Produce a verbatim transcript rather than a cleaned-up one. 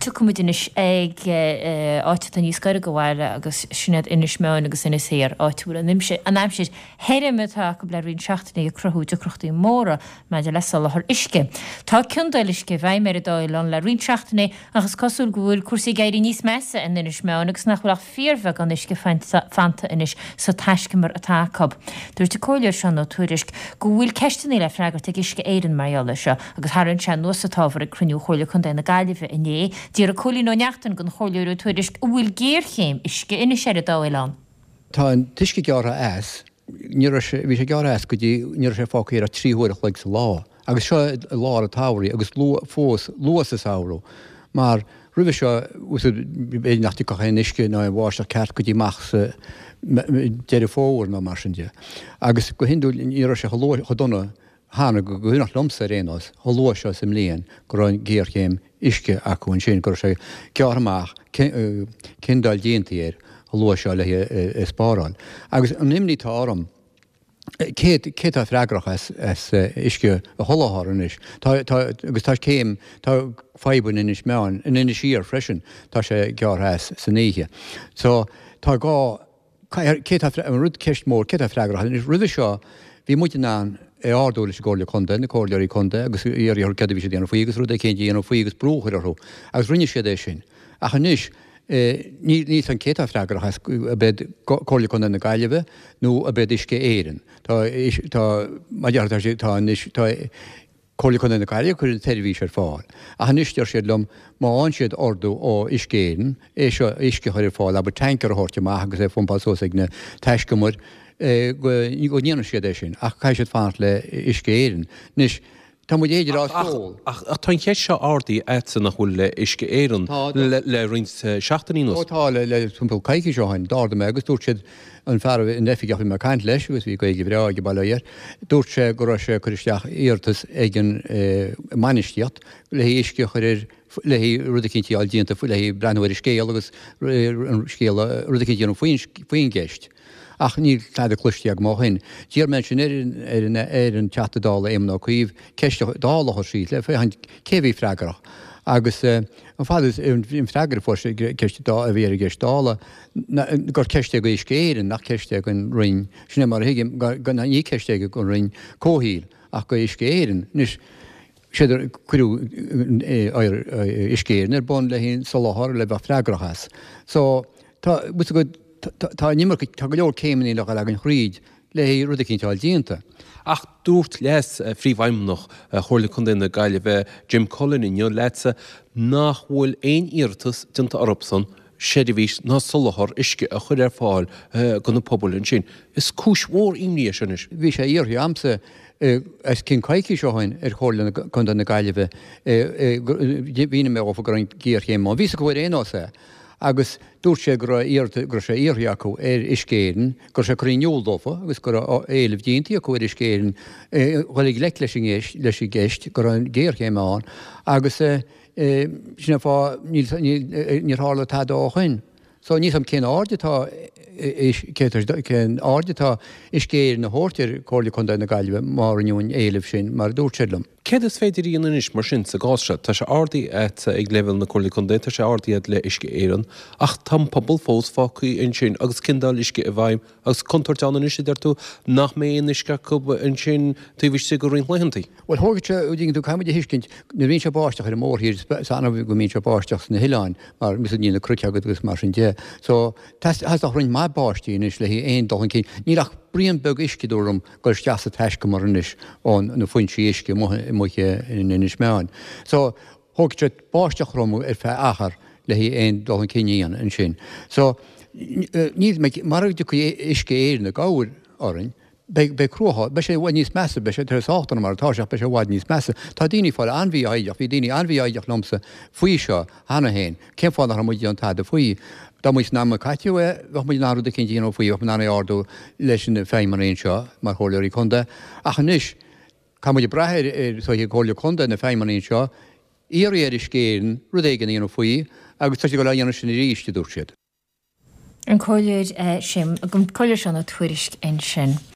Tiocfaimid anois ag áit atá níos gaire do bhaile agus sin iad Inis Meáin agus Inis Oírr, áit a bhfuil an an aimsir thirim atá acu le roinnt seachtainí ag cruthú deacrachtaí móra maidir le soláthar uisce. Tá ciondáil uisce i bhfeidhm ar an dá oileán le roinnt seachtainí ach is cosúil go bhfuil cúrsaí ag éirí níos measa in Inis Meáin agus nach bhfuil ach fíorbheagán uisce fanta anois sa taiscumar atá acu. Dúirt an Comhairleoir Seán Ó Tuairisg go bhfuil ceisteanna le freagairt ag Uisce Éireann mar gheall air seo agus tharraing sé anuas an t-ábhar ag cruinniú Chomhairle Contae na Gaillimhe inné. D'fhiafraigh Cóilín Ó Neachtain den Chomhairleoir Ó Tuairisg an bhfuil géarchéim uisce anois ar an dá oileán. Tá an t-uisce gearrtha as, ní raibh sé, bhí sé gearrtha as go dtí, ní raibh sé fágtha air ach trí huaire a chloig sa lá. Agus seo i lár an tsamhraidh agus luath fós, luath sa samhradh mar roimhe seo, b'fhéidir nach dtiocfadh aon uisce ná aon bháisteach ceart go dtí amach sa Deireadh Fómhair nó mar sin de. Agus go hiondúil ní raibh sé chomh luath, chomh dona cheana, go cuimhneach liomsa ar aon nós, chomh luath seo sa mbliain go raibh an ghéarchéim uisce acu ansin, go raibh sé gearrtha amach, ciondáil déanta air chomh luath seo le é a spáráil. Agus an imní atá orm, cé cé atá freagrach as as uisce a sholáthar anois? Tá tá agus tá céim, tá fadhb in Inis Meáin, in Inis Oírr freisin, tá sé gearrtha as san oíche. So tá gá, cé atá, an rud ceist mór, cé atá freagrach? Anois roimhe seo bhí muid in ann é a ardú leis an gComhairle Contae, na comhairleoirí contae agus iarraidh orthu céard a bhí siad a dhéanamh faoi agus rud éicint a dhéanamh faoi agus brú a chur orthu agus rinne siad é sin. Ach anois níl 'fhios a'm cé atá freagrach as, ab iad Comhairle Contae na Gaillimhe nó ab iad Uisce Éireann. Tá, tá, mar a déarfá, tá sé, tá anois, tá Comhairle Contae na Gaillimhe ag cur an tseirbhís ar fáil. Ach anois deir siad liom má fhaigheann siad ordú ó Uisce Éireann é seo, uisce a chur ar fáil, abair tanker a thabhairt amach agus é a phumpáil suas ag na taiscumair, go ndéanfaidh siad é sin. Ach caithfidh siad fanacht le Uisce Éireann. Anois, Tá muid b'fhéidir á ól. Ach tá an cheist seo ardaithe agatsa nach bhfuil le Uisce Éireann le roinnt seachtainí anuas. Ó tá, le timpeall coicís ó shin. D'ardaigh mé agus dúirt siad, an fear, an oifigeach a bhí mé ag caint leis agus bhí Gaeilge bhreá aige bail ó Dhia air, dúirt sé go raibh sé ag cur isteach iarratas ag an mbainistíocht le haghaidh uisce a chur ar, le haghaidh rud eicínt a fháil déanta, le haghaidh breathnú ar an scéal agus an scéal, rud eicínt a dhéanamh faoin gceist. Ach níl tada cloiste agam ó shin. D'iarr mé ansin ar an Teachta Dála Éamon Ó Cuív ceist Dála a chur síos le féachaint cé a bhí freagrach. Agus an fad is an freagra a fuair sé ceist a bhí ar an gceist Dála gur ceist é go Uisce Éireann nach ceist é don Roinn. Sin é mar a thuigim, ní ceist é don Roinn Comhshaoil ach go Uisce Éireann. Anois, siad cuireadh Uisce Éireann ar bun le haghaidh an soláthar le bheith freagrach as. So tá, Tá an iomarca, tá go leor céimeanna le dhul againn thríd le haghaidh rud eicínt a fháil déanta. Ach dúirt Leas-Phríomhfheidhmeannach Chomhairle Contae na Gaillimhe, Jim Cullen inniu leatsa nach bhfuil aon iarratas déanta orthusan seirbhís ná soláthar uisce a chur ar fáil do na pobail ansin. Is cúis mhór imní é seo anois. Bhí sé iarrtha a'msa os cionn coicís ó shin ar Chomhairle Contae na Gaillimhe, mhínigh mé dhófa go raibh an ghéarchéim ann. Bhí 'fhios acu ar aon nós é. Agus dúirt sé go raibh iarrta, go raibh sé iarrtha acu ar Uisce Éireann, go raibh sé curtha in iúl dófa agus go raibh éileamh déanta acu ar Uisce Éireann dhul i ngleic leis an gceist, leis an gceist, go raibh an ghéarchéim ann agus sin an fáth níl, níl, níor tharla tada ó shoin. So níl 's a'm cén aird atá, cén aird atá Uisce Éireann a thabhairt ar Chomhairle Contae na Gaillimhe má rinneadh an éileamh sin mar a dúirt siad liom. Céard is féidir a dhéanamh anois mar sin sa gcás seo? Tá sé ardaithe agat ag leibhéal na Comhairle Contae, tá sé ardaithe agat le Uisce Éireann, ach tá an pobal fós fágtha ansin agus ciondáil uisce i bhfeidhm agus contúirt ann anois, a deir tú, nach mbeidh aon uisce acu ansin taobh istigh de roinnt laethanta. Bhuel, thógfadh sé, an dtuigeann tú, caithfidh muid a thuiscint, nuair a bhíonn sé ag báisteach ar an mórthír, is annamh go mbíonn sé ag báisteach sna hoileáin mar níl na cnoic agat agus mar sin de. So, theastódh roinnt mhaith báistí anois le haghaidh aon dul chun cinn. Níl ach braon beag uisce, dúradh liom, dul isteach sa taiscumar anois ó na foinsí uisce amuigh in Inis Meáin. So, thógfadh sé báisteach throm ar feadh achar le haghaidh aon dul chun cinn a dhéanamh ansin. So, níl, mara dtiocfaidh Uisce Éireann i gcabhair orainn, beidh, beidh cruachás, beidh sé i bhfad níos measa, beidh sé, tá sé sách dona mar atá sé ach beidh sé i bhfad níos measa. Tá daoine ag fáil an-mhífhoighdeach, bhí daoine an-mhífhoighdeach liomsa faoi seo cheana féin, cén fáth nach raibh muid ag déanamh tada faoi? Dá mba san am a caiteadh é, bheadh muid in ann rud eicínt a dhéanamh faoi, bheadh muid in ann é a ardú leis na feidhmeannaigh anseo mar chomhairleoirí contae. Ach anois, caithfidh muid brath ar, ar, is dóiche, Comhairle Contae, na feidhmeannaigh anseo, iarraidh ar Uisce Éireann rud éigin a dhéanamh faoi agus tá siad ag dul á dhéanamh sin arís, a dúirt siad. An Comhairleoir, an Comhairleoir Seán Ó Tuairisg ansin.